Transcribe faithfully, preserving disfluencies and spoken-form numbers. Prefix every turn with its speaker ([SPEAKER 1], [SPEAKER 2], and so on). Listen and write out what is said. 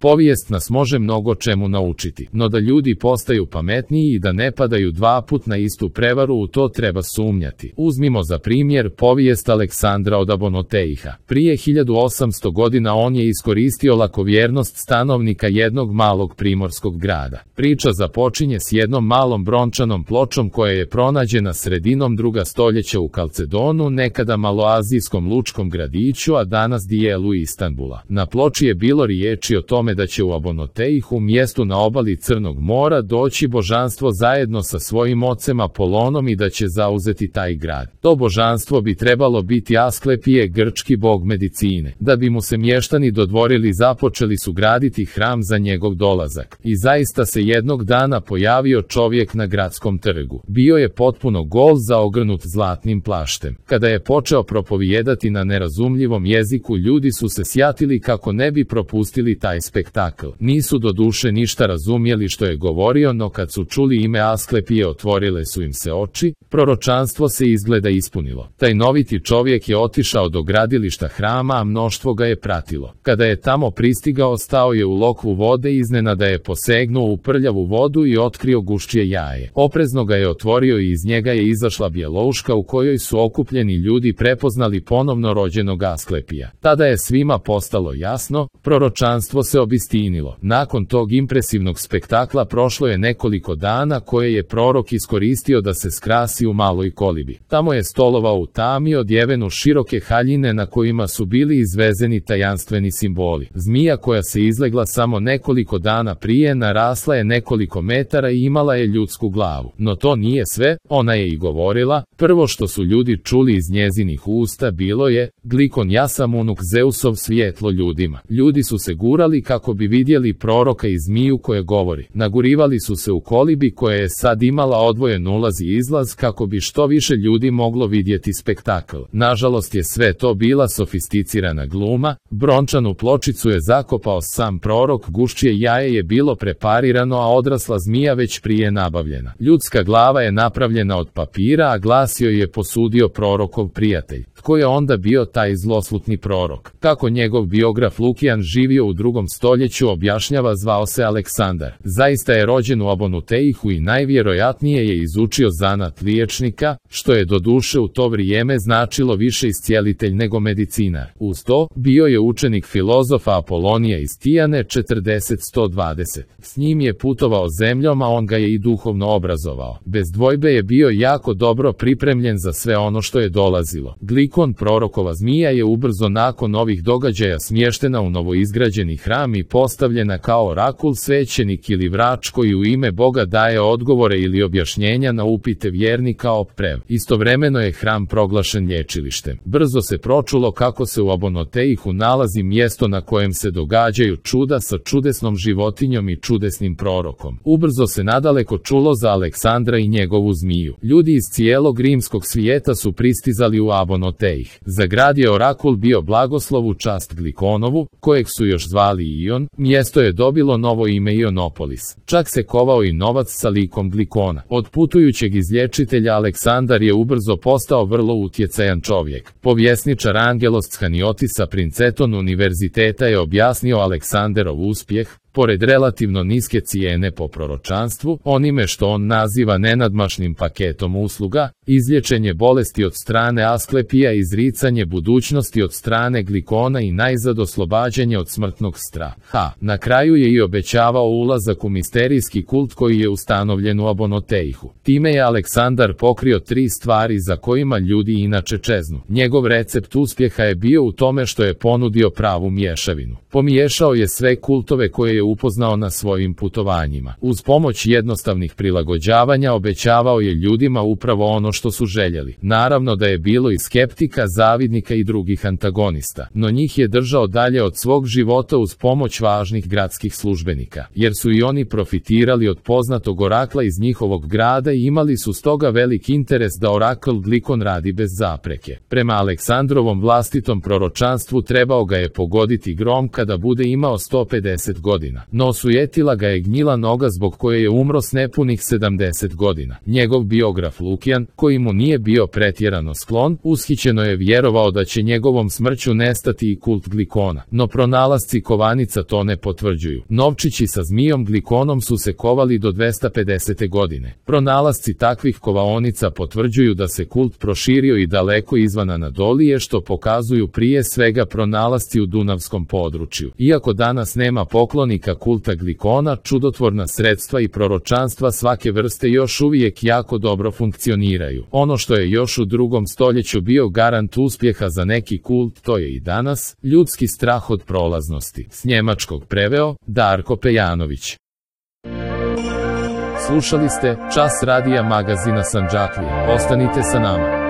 [SPEAKER 1] Povijest nas može mnogo čemu naučiti, no da ljudi postaju pametniji i da ne padaju dva put na istu prevaru, u to treba sumnjati. Uzmimo za primjer povijest Aleksandra od Abonoteiha. Prije hiljadu osamsto godina on je iskoristio lakovjernost stanovnika jednog malog primorskog grada. Priča započinje s jednom malom brončanom pločom koja je pronađena sredinom druga stoljeća u Kalcedonu, nekada maloazijskom lučkom gradiću, a danas dijelu Istanbula. Na ploči je bilo riječi o tome da će u Abonoteihu, mjestu na obali Crnog mora, doći božanstvo zajedno sa svojim ocem Apolonom i da će zauzeti taj grad. To božanstvo bi trebalo biti Asklepije, grčki bog medicine. Da bi mu se mještani dodvorili, započeli su graditi hram za njegov dolazak. I zaista se jednog dana pojavio čovjek na gradskom trgu. Bio je potpuno gol, zaogrnut zlatnim plaštem. Kada je počeo propovijedati na nerazumljivom jeziku, ljudi su se sjatili kako ne bi propustili taj spektakl. Nisu doduše ništa razumjeli što je govorio, no kad su čuli ime Asklepije, otvorile su im se oči. Proročanstvo se izgleda ispunilo. Taj noviti čovjek je otišao do gradilišta hrama, a mnoštvo ga je pratilo. Kada je tamo pristigao, stao je u lokvu vode, iznenada je posegnuo u prljavu vodu i otkrio guščije jaje. Oprezno ga je otvorio i iz njega je izašla bjelouška u kojoj su okupljeni ljudi prepoznali ponovno rođenog Asklepija. Tada je svima postalo jasno, proročanstvo se obistinilo. Nakon tog impresivnog spektakla prošlo je nekoliko dana koje je prorok iskoristio da se skrasi u maloj kolibi. Tamo je stolovao u tami, odjeven u široke haljine na kojima su bili izvezeni tajanstveni simboli. Zmija koja se izlegla samo nekoliko dana prije narasla je nekoliko metara i imala je ljudsku glavu. No to nije sve, ona je i govorila. Prvo što su ljudi čuli iz njezinih usta bilo je: Glikon, ja sam unuk Zeusov, svjetlo ljudima. Ljudi su se gurali kako bi vidjeli proroka i zmiju koja govori. Nagurivali su se u kolibi koja je sad imala odvojen ulaz i izlaz kako bi što više ljudi moglo vidjeti spektakl. Nažalost je sve to bila sofisticirana gluma. Brončanu pločicu je zakopao sam prorok, guščije jaje je bilo preparirano, a odrasla zmija već prije nabavljena. Ljudska glava je napravljena od papira, a glas joj je posudio prorokov prijatelj. Tko je onda bio taj zloslutni prorok? Kako njegov biograf Lukijan, živio u drugom stoljeću, objašnjava, zvao se Aleksandar. Zaista je rođen u Abonoteihu i najvjerojatnije je izučio zanat liječnika, što je doduše u to vrijeme značilo više iscijelitelj nego medicinar. Uz to, bio je učenik filozofa Apolonija iz Tijane četrdeset sto dvadeset. S njim je putovao zemljom, a on ga je i duhovno obrazovao. Bez dvojbe je bio jako dobro pripremljen za sve ono što je dolazilo. Glikon, prorokova zmija, je ubrzo nakon ovih događaja smještena u novoizgrađeni hram i postavljena kao orakul, svećenik ili vrač koji u ime Boga daje odgovore ili objašnjenja na upite vjernika o prev. Istovremeno je hram proglašen lječilištem. Brzo se pročulo kako se u Abonoteihu nalazi mjesto na kojem se događaju čuda sa čudesnom životinjom i čudesnim prorokom. Ubrzo se nadaleko čulo za Aleksandra i njegovu zmiju. Ljudi iz cijelog rimskog svijeta su pristizali u Abonoteih. Za grad je orakul bio blagoslov u čast Glikonovu, kojeg su još zvali Ion. Mjesto je dobilo novo ime Ionopolis. Čak se kovao i novac sa likom Glikona. Od putujućeg izlječitelja Aleksandar je ubrzo postao vrlo utjecajan čovjek. Povjesničar Angelos Scaniotisa Princeton univerziteta je objasnio Aleksanderov uspjeh. Pored relativno niske cijene po proročanstvu, onime što on naziva nenadmašnim paketom usluga, izlječenje bolesti od strane Asklepija, izricanje budućnosti od strane Glikona i najzad oslobađanje od smrtnog straha. Na kraju je i obećavao ulazak u misterijski kult koji je ustanovljen u Abonoteihu. Time je Aleksandar pokrio tri stvari za kojima ljudi inače čeznu. Njegov recept uspjeha je bio u tome što je ponudio pravu mješavinu. Pomiješao je sve kultove koje je upoznao na svojim putovanjima. Uz pomoć jednostavnih prilagođavanja obećavao je ljudima upravo ono što su željeli. Naravno da je bilo i skeptika, zavidnika i drugih antagonista, no njih je držao dalje od svog života uz pomoć važnih gradskih službenika, jer su i oni profitirali od poznatog orakla iz njihovog grada i imali su stoga velik interes da orakl Glikon radi bez zapreke. Prema Aleksandrovom vlastitom proročanstvu trebao ga je pogoditi grom kada bude imao sto pedeset godina. godina, no osujetila ga je gnjila noga zbog koje je umro s nepunih sedamdeset godina. Njegov biograf Lukijan, koji mu nije bio pretjerano sklon, ushićeno je vjerovao da će njegovom smrću nestati i kult Glikona, no pronalasci kovanica to ne potvrđuju. Novčići sa zmijom Glikonom su se kovali do dvesta pedesete godine. Pronalasci takvih kovaonica potvrđuju da se kult proširio i daleko izvan Anadolije, što pokazuju prije svega pronalasci u Dunavskom području. Iako danas nema poklonika kulta Glikona, čudotvorna sredstva i proročanstva svake vrste još uvijek jako dobro funkcioniraju. Ono što je još u drugom stoljeću bio garant uspjeha za neki kult, to je i danas ljudski strah od prolaznosti. S njemačkog preveo Darko Pejanović. Slušali ste Čas radija magazina Sandžaklije. Ostanite sa nama.